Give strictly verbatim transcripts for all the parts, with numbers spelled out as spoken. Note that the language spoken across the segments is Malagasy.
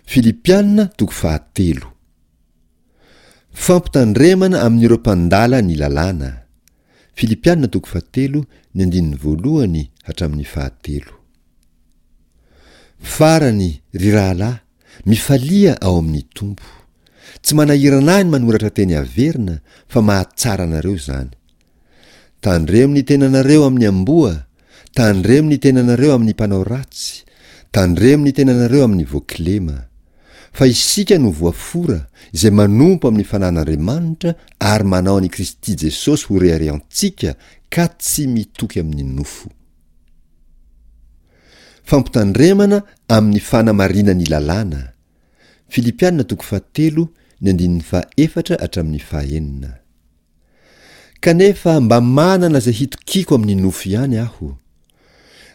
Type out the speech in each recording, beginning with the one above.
Filipiana toko fahatelo. Fampitandremana amin'ireo mpandala ny lalàna. Filipiana toko fahatelo ny andininy voalohany hatramin'ny fahatelo. Farany, ry rahalahy, mifalia ao amin'ny Tompo. Tsy manahirana ahy ny manoratra teny averina fa mahatsara anareo izany. Tandremo ny tenanareo amin'ny amboa, tandremo ny tenanareo amin'ny mpanao ratsy, tandremo ny tenanareo amin'ny voakilema. Fa isika no voafora, izay manompo amin'ny fanan'Andriamanitra ary manao an'i Kristy Jesosy ho reharehantsika ka tsy mitoky amin'ny nofo. Fampitandremana amin'ny fanamarinan'ny lalàna. Filipiana toko fahatelo ny andininy fahaefatra hatramin'ny fahaenina. Kanefa mba manana izay hitokiako amin'ny nofo ihany aho.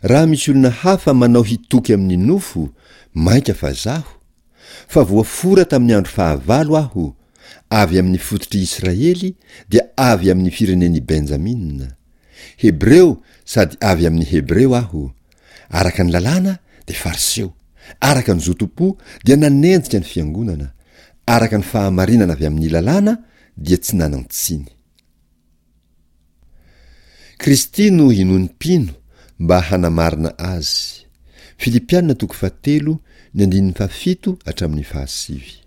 Raha misy olona hafa manao hitoky amin'ny nofo, mainka fa zaho, fa voafora tamin'ny andro fahavalo aho, avy amin'ny fototr'i Israely, dia avy amin'ny firenen'i Benjamina. Hebreo sady avy amin'ny Hebreo aho. Araka ny lalàna dia Fariseo, araka ny zotom-po dia nanenjika ny fiangonana, araka ny fahamarinana avy amin'ny lalàna dia tsy nanan-tsiny. Kristy no inoan'ny mpino mba hanamarina azy. Filipiana toko fahatelo ny andininy fahafito hatramin'ny fahasivy.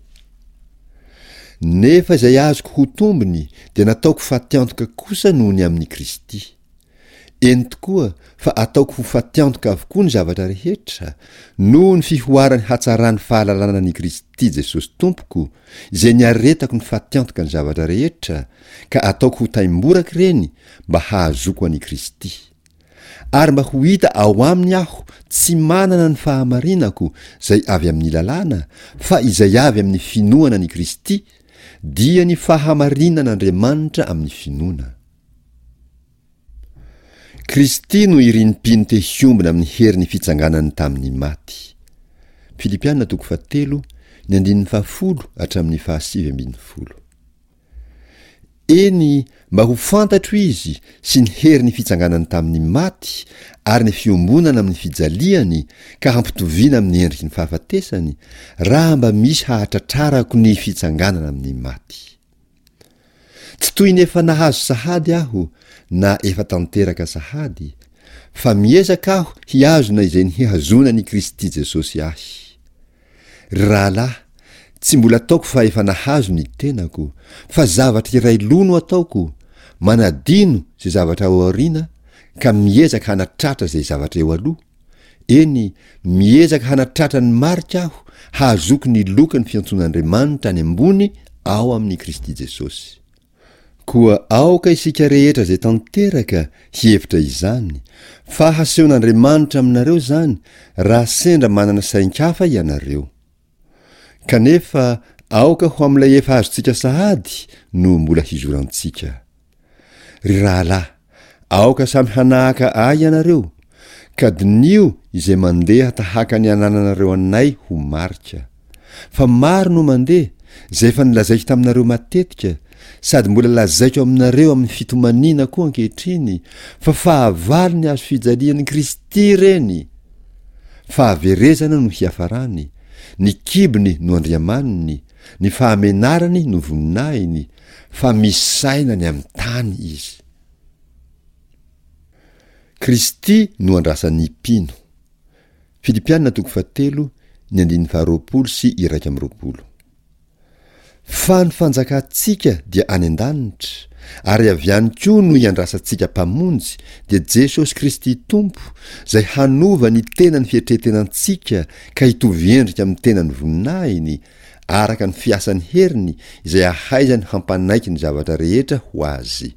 Nefa izay azoko ho tombony dia nataoko fatiantoka kosa noho ny amin'i Kristy. Eny tokoa fa ataoko ho fatiantoka avokoa ny zavatra rehetra, noho ny fihoaran'ny hatsaran'ny fahalalana an'i Kristy Jesosy Tompoko, izay niaretako ny fatiantoka ny zavatra rehetra, ka ataoko ho taimboraka ireny mba hahazoako an'i Kristy. Ary mba ho hita ao aminy aho tsy manana ny fahamarinako izay avy amin'ny lalàna, fa izay avy amin'ny finoana an'i Kristy, dia ny fahamarinan'Andriamanitra amin'ny finoana. Kristy no irin'ny mpino te hiombona amin'ny herin'ny fitsanganany tamin'ny maty. Filipiana toko fahatelo, ny andininy fahafolo hatramin'ny fahasivy ambin'ny folo. Eny, mba ho fantatro izy sy ny herin'ny fitsanganany tamin'ny maty ary ny fiombonana amin'ny fijaliany ka hampitoviana amin'ny endriky ny fahafatesany, raha mba misy hahatratrarako ny fitsanganana amin'ny maty. Tsy toy ny efa nahazo sahady aho na efa tanteraka sahady, fa miezaka aho hihazona izay nihazonan'i Kristy Jesosy ahy. Ry rahalahy, tsy mbola ataoko fa efa nahazo ny tenako, fa zavatra iray loha no ataoko, manadino izay zavatra ao aoriana ka miezaka hanatratra izay zavatra eo aloha, eny, miezaka hanatratra ny marika aho hahazoako ny loka ny fiantsoan'Andriamanitra any ambony ao amin'i Kristy Jesosy. Koa aoka isika rehetra izay tanteraka hihevitra izany, fa hasehon'Andriamanitra aminareo izany raha sendra manana sain-kafa ianareo. Kanefa aoka ho amin'ilay efa azontsika sahady no mbola hizorantsika. Ry rahalahy, aoka samy hanahaka ahy ianareo, ka diniho izay mandeha tahaka ny anananareo anay ho marika. Fa maro no mandeha, izay efa nolazaiko taminareo matetika, sady mbola lazaiko aminareo amin'ny fitomaniana koa ankehitriny, fa fahavalo ny hazo fijalian'i Kristy ireny. Fahaverezana no hiafarany, ny kibony no andriamaniny, ny fahamenarany no voninahiny, fa misaina ny amin'ny tany izy. Kristy no andrasan'ny mpino. Filipiana toko fahatelo, ny andininy faharoapolo sy iraika amby roapolo. Fa ny fanjakantsika dia any an-danitra, ary avy any koa no iandrasantsika Mpamonjy, dia Jesosy Kristy Tompo, izay hanova ny tenan'ny fietretenantsika ka hitovy endrika amin'ny tenan'ny voninahiny, araka ny fiasan'ny heriny izay ahaizany hampanaiky ny zavatra rehetra ho azy.